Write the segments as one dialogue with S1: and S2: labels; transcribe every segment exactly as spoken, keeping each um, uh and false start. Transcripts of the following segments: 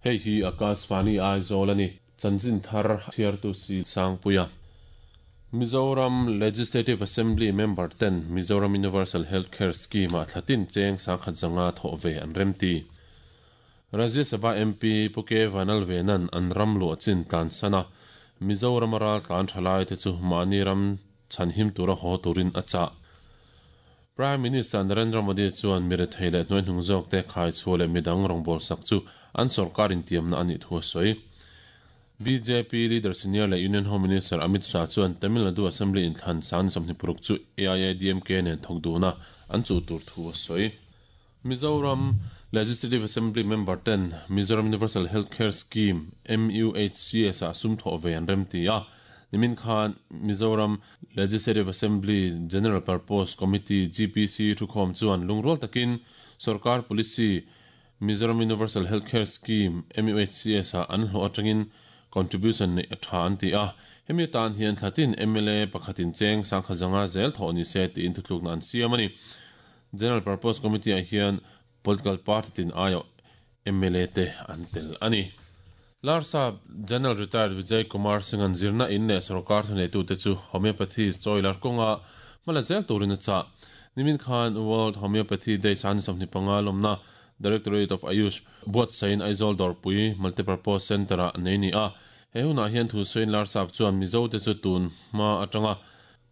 S1: Hei hi Akashvani Aizawl ani chanchin thar chhiartu si Sangpuia. Mizoram Legislative Assembly member ten Mizoram Universal Healthcare Scheme a thlatin cheng sangkhat zanga thaw ve an remti. Rajya Sabha M P Puke Vanal Venan an ram lu chin tlan sana Mizoram ral tlan thalai te chu mani ram chanhim tura ho turin acha. Prime Minister Narendra Modi chuan mire theile noi hnung zawk te khai chhuale midang rongbol sak chu an sarkar in tiamna ani thu soi. B J P leader senior le Union Home Minister Amit Shah chuan Tamil Nadu Assembly in thlan san samni puruk chu A I A D M K nen thokduna an chu tur thu soi. Mizoram Legislative Assembly member ten Mizoram Universal Healthcare Scheme M U H C S a sum tho ve an remti a. Nimin Khan Mizoram Legislative Assembly General Purpose Committee G P C thukhom chuan lungrol takin sarkar policy Mizoram Universal Healthcare Scheme M U H C S a an hlo atangin contribution nei atha an ti a. Hemi tan hian thlatin M L A pakhatin cheng sangkha zanga zel tho ni se ti in thutluk nan siam ani. General Purpose Committee a hian political party tin ayo M L A te an tel ani. Larsa General Retired Vijay Kumar Singh an zirna in le sarkar thune tu te chu homeopathy choilar konga mala zel turin cha. Nimin Khan World Homeopathy Day san samni panga lomna Directorate of Ayush buat sain Aizawl Dorpui Multipurpose Center a nei ni a. He huna hian thu soin Larsa chuan Mizo te chu tun ma atanga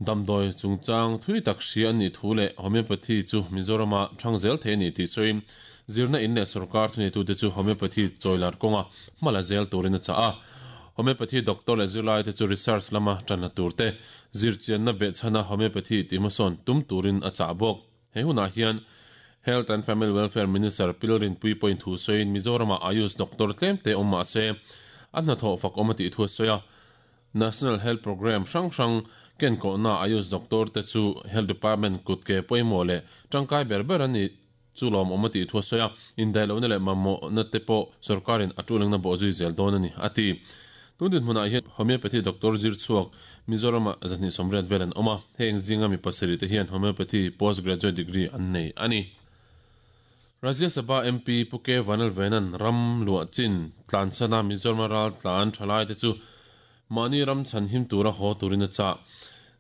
S1: damdoi chungchang thui tak hri an ni thu le homeopathy chu Mizorama thangzel the ni ti soin zirna in le sarkar thune tu te chu homeopathy choilar konga mala zel turin cha a. Homeopathy doctor le zirlai te chu research lama tanna turte zirchian na be chana homeopathy timason tum turin a cha bok. He huna hian Health and Family Welfare Minister Pilrin Pui point thu soin Mizorama Ayush doctor tlem te omma se an tho fak omati thu soya. National Health Program sang sang ken ko na Ayush doctor te chu Health Department kut ke poimo le tangkai berber ani chulom omati thu soya. Indailo ne le mamo na te po sarkarin atulang na bozui zel don ani ati. Tundin huna hian homeopathy doctor zir chuak Mizorama zani somret velan oma heng zinga mi pasari te hian homeopathy postgraduate degree an nei ani. Rajya Sabha M P Puke Vanal Venan ram lua chin tlan sana Mizoram ral tlan thalai te chu mani ram chanhim tura ho turin cha.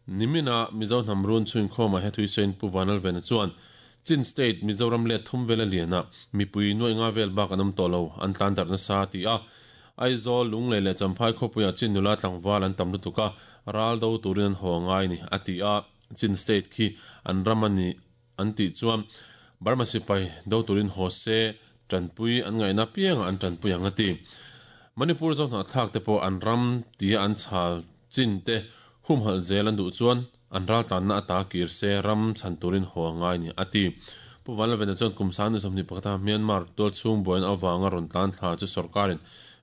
S1: Nimina Mizo namrun chuin khoma he thui sen Pu Vanal Vena chuan Chin State Mizoram le thum vela liana mipui noi nga vel bak anam tolo an tlan dar na sa ti a. Aizawl lungle le champhai khopuya chin nula tlangwal an tam lutuka ral do turin ho ngai ni ati a. Chin State khi an ramani an ti chuan Burma sipai do turin ho se tanpui an ngai na piang an tanpui ang ati. Manipur zo na thak te po an ram ti an chhal chin te hum hal zel an du chuan an ral tan na ata kir se ram chan turin ho ngai ni ati. Pu Vanal Vena chuan kumsan ni somni pakhata Myanmar tol chung boin awanga ron tlan thla chu sarkarin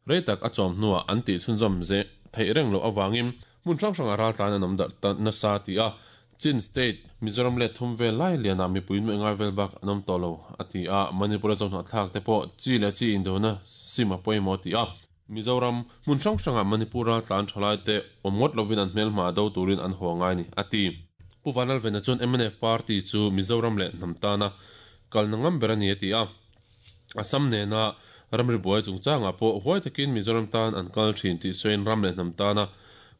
S1: reitak a chawm hnuah an tih chhunzawm ze theih reng lo awangin hmun hrang hrang a ral tlan an awm dar nasa ti a. Chin State Mizoram le thum vel lai liana mipui nu ngai vel bak an awm tawh lo ati a. Manipur a zawhna thlak te pawh chi le chi indona sim a pawimawh ti a. Mizoram hmun hrang hranga Manipur a tlan thalai te awm ngawt lovin an hmelhma do turin an haw ngai ni ati. Pu Vanal Vena chuan M N F party chu Mizoram le hnam tana kalna ngam ber ani ati a. Assam nena ramri buai chungchanga pawh huai takin Mizoram tan an kal thin tih sawiin ram le hnam tana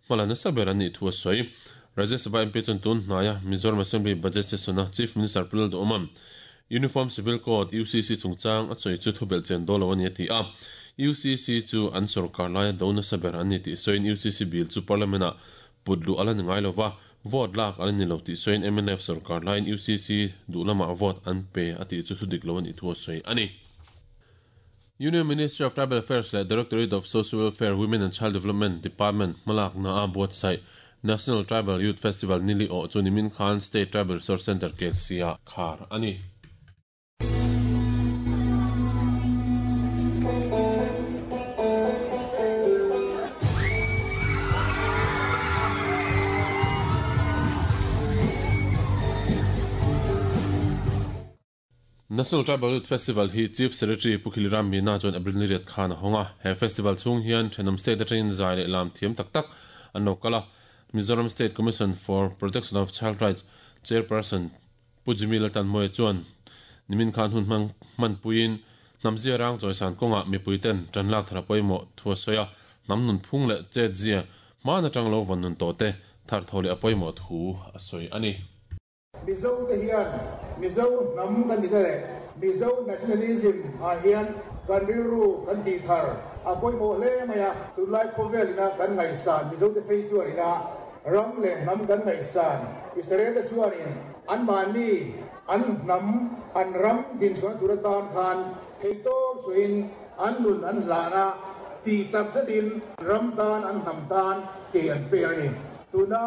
S1: hmala nasa ber ani thu a sawi. Rajya Sabha M P chuan tun hnaiah Mizoram Assembly Budget Session a Chief Minister Pulal Duhomam Uniform Civil Code U C C chungchang a sawi chu thubel chen dolo ani ati a. U C C chu an sarkar laia do nasa ber ani tih sawiin U C C bill chu parliament a putlu ala ni ngai lova vote lak ala ni lo tih sawiin M N F sarkar laiin U C C duhlama vote an pe ati chu thudik lo ani thu a sawi ani. Union Ministry of Tribal Affairs le Directorate of Social Welfare, Women and Child Development Department malak na a buatsaih National Tribal Youth Festival nili o chu nimin Khan State Tribal Resource Center K L C a khar ani. National Tribal Youth Festival hi Chief Secretary Pukhiliram Meena chuan April ni riat khan a hawnga. He festival chung hian Thenawm State atangin zai leh lam thiam tak tak an lo kal a. Mizoram State Commission for Protection of Child Rights Chairperson Pujimi Laltan Moe chuan nimin khan hun hmang hman puiin Namzia rang choisan konga mipuiten tanlak thara poimo thuasoya namnun phung le chet zia mana tanglo vanun to te thar thole apoimo thu asoi ani.
S2: Mizo te hian Mizo nam kan ni le Mizo nationalism a hian kan riru kan ti thar apoimo le maya tunlai khovel ina kan ngai san Mizo te phei chuan ina ram le nam kan ngai san Israel chuanin an mani an nam an ram din chuan turatan khan theito suin an nun an lana ti tak zetin ram tan an nam tan ke an pe ani tuna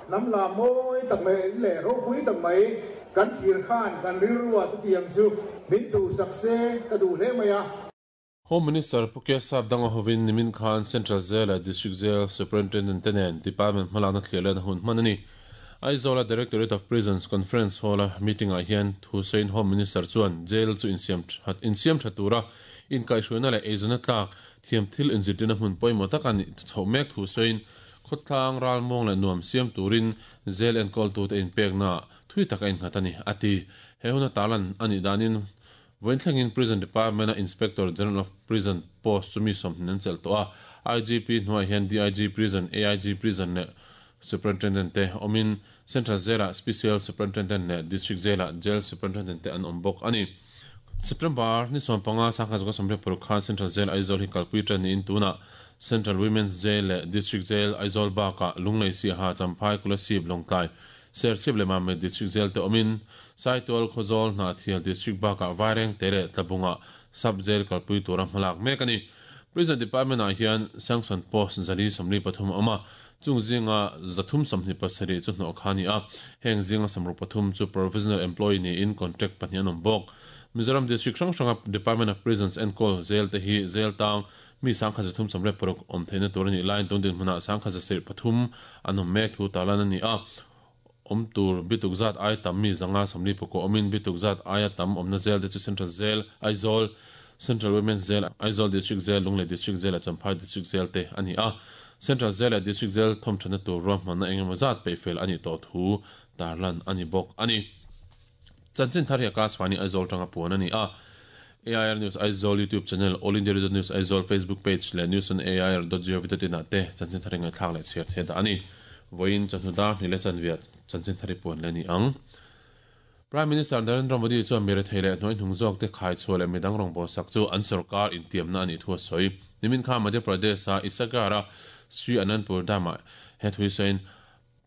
S2: nam la moi tak mai le ro pui tak mai kan thir khan kan rilruwa tu tiang chu min tu sakse ka du hle maya.
S1: Home Minister Pukya Sap Danga Hovin Nimin Khan Central Jail District Jail Superintendent tenen Department hmalakna thliahlen hun hman ani. Aizawl Directorate of Prisons Conference Hall meeting ah hian thu sawiin Home Minister chuan jail chu insiam that insiam tha tura in kaihhruaina leh eizawn tlak thiam thil inzirtirna hmun pawimawh tak ani chho mek thu sawiin khawtlang ral mawng leh nuam siam turin jail enkawl tu te inpekna thui tak a innghat ani ati. He huna talan ani danin vointhlengin Prison Department a Inspector General of Prison post chumi sawmhnih an chelh tawh a. I G P hnuaiah hian D I G Prison, A I G Prison leh Superintendent te awmin Central Jail ah Special Superintendent leh District Jail ah Jail Superintendent te an awm bawk ani. September ni sawm panga sangkhat zawka sawmriat paruk khan Central Jail Aizawl hi kalpui tan niin tunah Central Women's Jail leh District Jail Aizawl bakah Lunglei Siaha Champhai Kolasib Lawngtlai Serchhip leh Mamit District Jail te awmin Saitual Khawzawl Hnahthial District bakah Vaireng te leh Tlabunga Sub Jail kalpui tura hmalak mek ani. Prison Department ah hian sanction post zali sawmli pathum a awm a, chung zinga zathum sawmhnih pasarih chu hnawh kha ani a, heng zinga sawmruk pathum chu provisional employee niin contract pahnih an awm bawk. Mizoram District hrang hranga Department of Prisons enkawl jail te hi jail tang mi sangkhat zathum sawmriat paruk awm theihna tur ani laiin tun din hmunah sangkhat zasirh pathum an awm mek thu tarlan ani a. Awm tur bituk zat ai tam mi zanga sawmli pakua awmin bituk zat aia tam awmna jail te chu Central Jail Aizawl, Central Women's Jail Aizawl District Jail, Lunglei District Jail Champhai District Jail te ani a. Central Jail leh District Jail thawmthana tur ruahmanna engemaw zat peihfel ani tawh thu tarlan ani bawk ani. Chanchin thar hi Akashvani Aizawl tanga puan ani a. A I R News Aizawl YouTube channel, All India Radio News Aizawl Facebook page leh news on A I R dot gov dot in ah te chanchin thar hi ngaihthlak leh chhiar the dah ani. Vawiin chawhnu dar hnih leh chanviat chanchin thar hi puan leh ani ang. Prime Minister Narendra Modi chuan mi rethei leh hnuai hnung zawk te khai chhuah leh midang rawn bawlsak chu an sarkar intiamna ani thu a sawi. Nimin kha Madhya Pradesh a Isakar a Sri Anandpur Dam ah he thui sawiin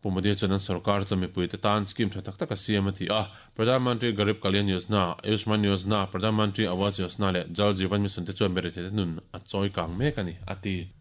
S1: Pu Modi chuan an sarkar chu mipui te tan scheme tha tak tak a siam a ti a. Pradhan Mantri Garib Kalyan Yojana, Ayushman Yojana, Pradhan Mantri Awas Yojana leh Jal Jeevan Mission te chuan mi rethei te nun a chawi kang mek ani a ti.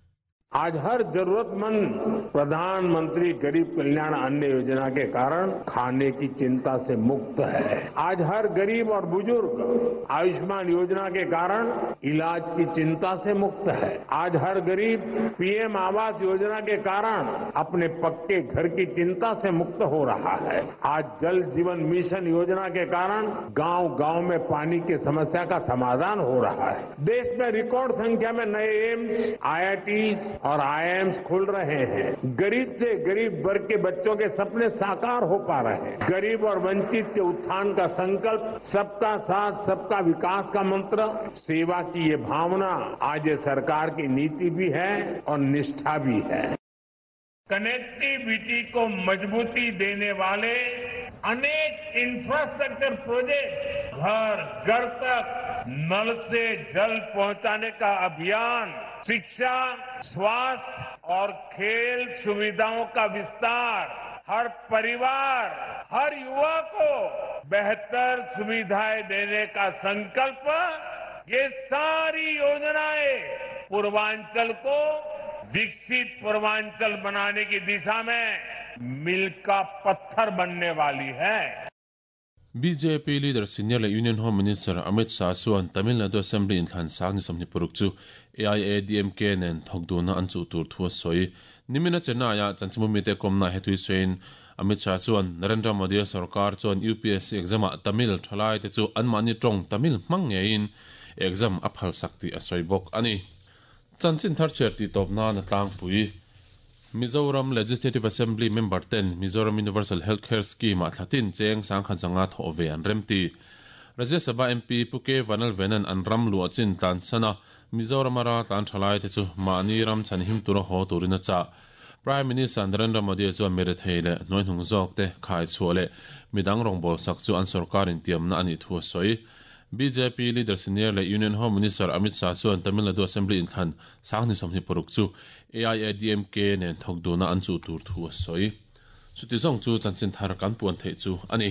S3: आज हर जरूरतमंद प्रधानमंत्री गरीब कल्याण अन्न योजना के कारण खाने की चिंता से मुक्त है। आज हर गरीब और बुजुर्ग आयुष्मान योजना के कारण इलाज की चिंता से मुक्त है। आज हर गरीब पीएम आवास योजना के कारण अपने पक्के घर की चिंता से मुक्त हो रहा है। आज जल जीवन मिशन योजना के कारण गांव-गांव में पानी की समस्या का समाधान हो रहा है। देश में रिकॉर्ड संख्या में नए एम्स, आईआईटी और आईआईएम्स खुल रहे हैं। गरीब से गरीब वर्ग के बच्चों के सपने साकार हो पा रहे हैं। गरीब और वंचित के उत्थान का संकल्प, सबका साथ सबका विकास का मंत्र, सेवा की ये भावना आज ये सरकार की नीति भी है और निष्ठा भी है। कनेक्टिविटी को मजबूती देने वाले अनेक इंफ्रास्ट्रक्चर प्रोजेक्ट्स, घर घर तक नल से जल पहुंचाने का अभियान, शिक्षा, स्वास्थ्य और खेल सुविधाओं का विस्तार, हर परिवार, हर युवा को बेहतर सुविधाएं देने का संकल्प, ये सारी योजनाएं पूर्वांचल को विकसित पूर्वांचल बनाने की दिशा में मील का पत्थर बनने वाली है।
S1: B J P leader senior le Union Home Minister Amit Shah chuan Tamil Nadu Assembly inthlan sang ni sawmhnih paruk chu A I A D M K nen thawkduna an chuh tur thu a sawi. Nimina Chennai ah chanchimumi te kawmna he thui sawiin Amit Shah chuan Narendra Modi sarkar chuan U P S C exam ah Tamil thalai te chu anmahni tawng Tamil hmang ngeiin exam a phal sak tih a sawi bawk ani. Chanchin thar chhiar tih tawp nan a tlangpui. Mizoram Legislative Assembly Member ten Mizoram Universal Healthcare Scheme ah thlatin cheng sangkhat zanga thawh ve an remti. Rajya Sabha M P Pu K Vanlalvenan an ram luah chin tlan sana Mizoram ara tlan thalai te chu mahni ram chan him tura haw turin a chah. Prime Minister Narendra Modi chuan mirethei leh hnuaihnung zawk te khai chhuah leh midang rawngbawl sak chu an sorkarin tiamna ani thu a sawi. B J P leader senior leh Union Home Minister Amit Shah chuan Tamil Nadu Assembly inthlan sang ni sawmhnih paruk chu A I A D M K nen thawk duna an chu tur thu a sawi. Chuti zawng chu chanchin thar kan puan theih chu ani.